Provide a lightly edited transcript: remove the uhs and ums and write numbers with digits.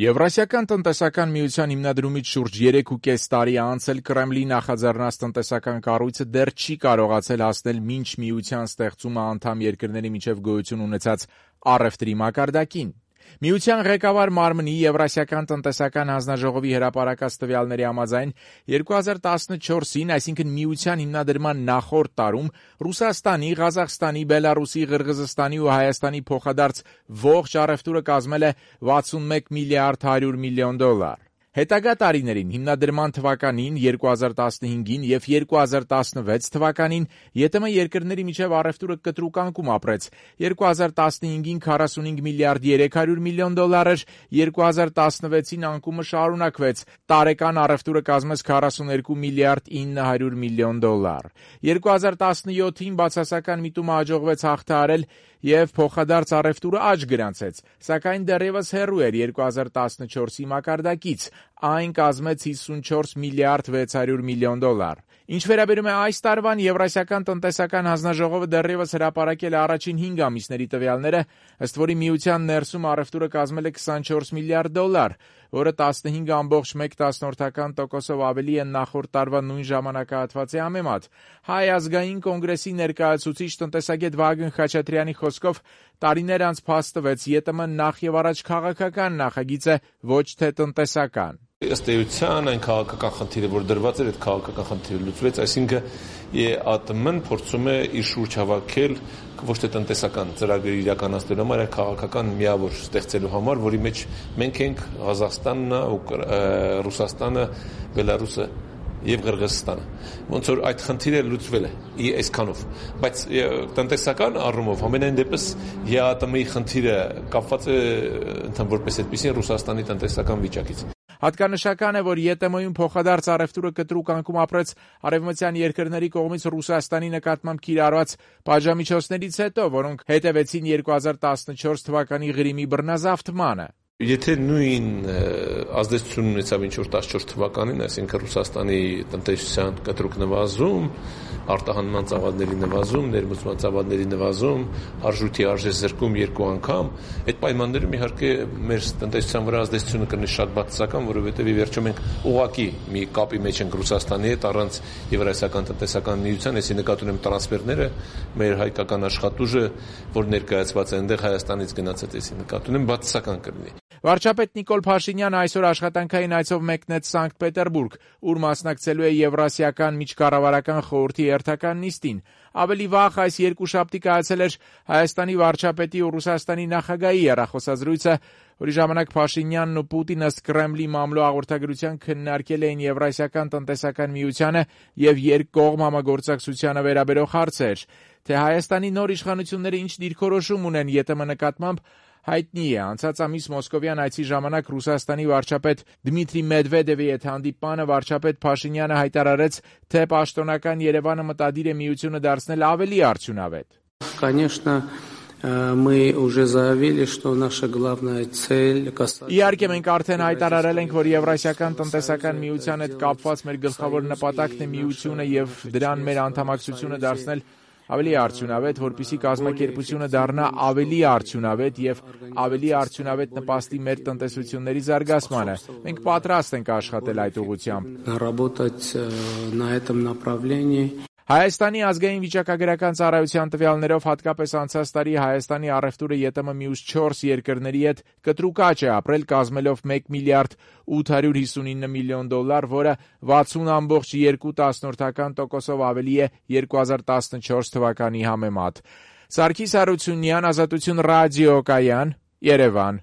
Եվրասիական տնտեսական միության հիմնադրումից շուրջ 3.5 տարի անցել Կրեմլի նախաձեռնած տնտեսական կառույցը դեռ չի կարողացել հասնել մինչ միության ստեղծումը անդամ երկրների միջև գոյություն ունեցած առևտրի մակարդակին։ Միության ղեկավար մարմնի Եվրասիական տնտեսական հանձնաժողովի հրապարակած տվյալների համաձայն 2014-ին, այսինքն միության հիմնադրման նախորդ տարում, Ռուսաստանի, Ղազախստանի, Բելարուսի, Ղրղզստանի ու Հայաստանի փոխադարձ ողջ առևտուրը կազմել է 61 միլիարդ 100 միլիոն դոլար։ Հետագա տարիներին հիմնադրման թվականին 2015-ին եւ 2016 թվականին ԵՏՄ երկրների միջև առևտուրը կտրուկ անկում ապրեց։ 2015-ին 45 միլիարդ 300 միլիոն դոլար էր, 2016-ին անկումը շարունակվեց։ Տարեկան առևտուրը կազմեց 42 միլիարդ 900 միլիոն դոլար։ 2017-ին բացասական միտումը հաջողվեց հաղթահարել եւ փոխադարձ առևտուրը աճ գրանցեց, սակայն դեռևս հեռու էր 2014-ի մակարդակից, այն կազմեց 54 միլիարդ 600 միլիոն դոլար։ Ինչ վերաբերում է այս տարվան, Եվրասիական տնտեսական հանձնաժողովը դեռևս հրապարակել է առաջին 5 ամիսների տվյալները, ըստ որի միության ներսում առևտուրը կազմել է 24 միլիարդ դոլար, որը 15.1% ավելի է նախորդ տարվա նույն ժամանակահատվածի համեմատ։ Հայ ազգային կոնգրեսի ներկայացուցիչ տնտեսագետ Վահագն Խաչատրյանի խոսքով տարիներ անց փաստվեց ԵՏՄ նախ եւ առաջ քաղաքական նախագիծ է, ոչ թե տնտեսական։ Ըստ էության այն քաղաքական խնդիրը, որ դրված էր, այդ քաղաքական խնդիրը լուծվեց, այսինքն ԵԱՏՄ-ն փորձում է իր շուրջ հավաքել ոչ թե տնտեսական ծրագրեր իրականացնելու համար, այլ քաղաքական միավոր ստեղծելու համար, որի մեջ մենք ենք Ղազախստանն, Ռուսաստանը, Բելարուսը եւ Ղրղզստանը։ Ոնց որ այդ խնդիրը լուծվել է այսքանով, բայց տնտեսական առումով ամենայն դեպս ԵԱՏՄ-ի խնդիրը կապված է ընդհանուր որպես այդպեսին Ռուսաստանի տնտեսական վիճակից։ Հատկանշական է, որ ԵՏՄ-ում փոխադարձ առևտուրը կտրուկ անկում ապրեց արևմտյան երկրների կողմից Ռուսաստանի նկատմամբ կիրառված պատժամիջոցներից հետո, որոնք հետևեցին 2014 թվականի Ղրիմի բռնազավթմանը։ Եթե նույն ազդեցություն ունեցավ ինչ որ 14 թվականին, այսինքն Ռուսաստանի տնտեսության կտրուկ նվազում, արտահանման ծավալների նվազում, ներմուծման ծավալների նվազում, արժույթի արժեզրկում 2 անգամ, այդ պայմաններում իհարկե մեր տնտեսության վրա ազդեցությունը կլինի շատ բացասական, որովհետև ի վերջո մենք ուղղակի մի կապի մեջ ենք Ռուսաստանի հետ առանց Եվրասիական տնտեսական միության, այսի նկատի ունեմ տրանսֆերները, մեր հայկական աշխատուժը, որ ներկայացված է այնտեղ Հայաստանից գնացած, այսի նկատի ունեմ բացասական կլինի։ Վարչապետ Նիկոլ Փաշինյանը այսօր աշխատանքային այցով մեկնեց Սանկտ Պետերբուրգ, ուր մասնակցելու է Եվրասիական միջկառավարական խորհրդի հերթական նիստին։ Ավելի վաղ այս երկուշաբթի կայացել էր Հայաստանի վարչապետի ու Ռուսաստանի նախագահի հեռախոսազրույցը, որի ժամանակ Փաշինյանն ու Պուտինը ըստ Կրեմլի մամլո հաղորդագրության քննարկել էին Եվրասիական տնտեսական միությանը եւ երկկողմ համագործակցությանը վերաբերող հարցեր։ Թե Հայաստանի նոր իշխանությունները ինչ դիրքորոշում ունեն ԵՏՄ նկատմամբ, հայտնի է։ Անցած ամիս Մոսկովյան այցի ժամանակ Ռուսաստանի վարչապետ Դմիտրի Մեդվեդևի հետ հանդիպմանը վարչապետ Փաշինյանը հայտարարեց, թե պաշտոնական Երևանը մտադիր է միությունը դարձնել ավելի արդյունավետ։ Конечно, мы уже заявили, что наша главная цель Իհարկե մենք արդեն հայտարարել ենք, որ Եվրասիական տնտեսական միության հետ կապված մեր գլխավոր նպատակն է միությունը եւ դրան մեր անդամակցությունը դարձնել ավելի արդյունավետ, որպեսզի կազմակերպությունը դառնա ավելի արդյունավետ եւ ավելի արդյունավետ նպաստի մեր տնտեսությունների զարգացմանը։ Մենք պատրաստ ենք աշխատել այդ ուղղությամբ։ Работать на этом направлении. Հայաստանի ազգային վիճակագրական ծառայության տվյալներով հատկապես անցած տարի Հայաստանի առևտուրը ԵՏՄ մյուս 4 երկրների հետ կտրուկ աճ է ապրել, կազմելով 1 միլիարդ 859 միլիոն դոլար, որը 60.2% ավելի է 2014 թվականի համեմատ։ Սարգիս Հարությունյան, Ազատություն ռադիոկայան, Երևան։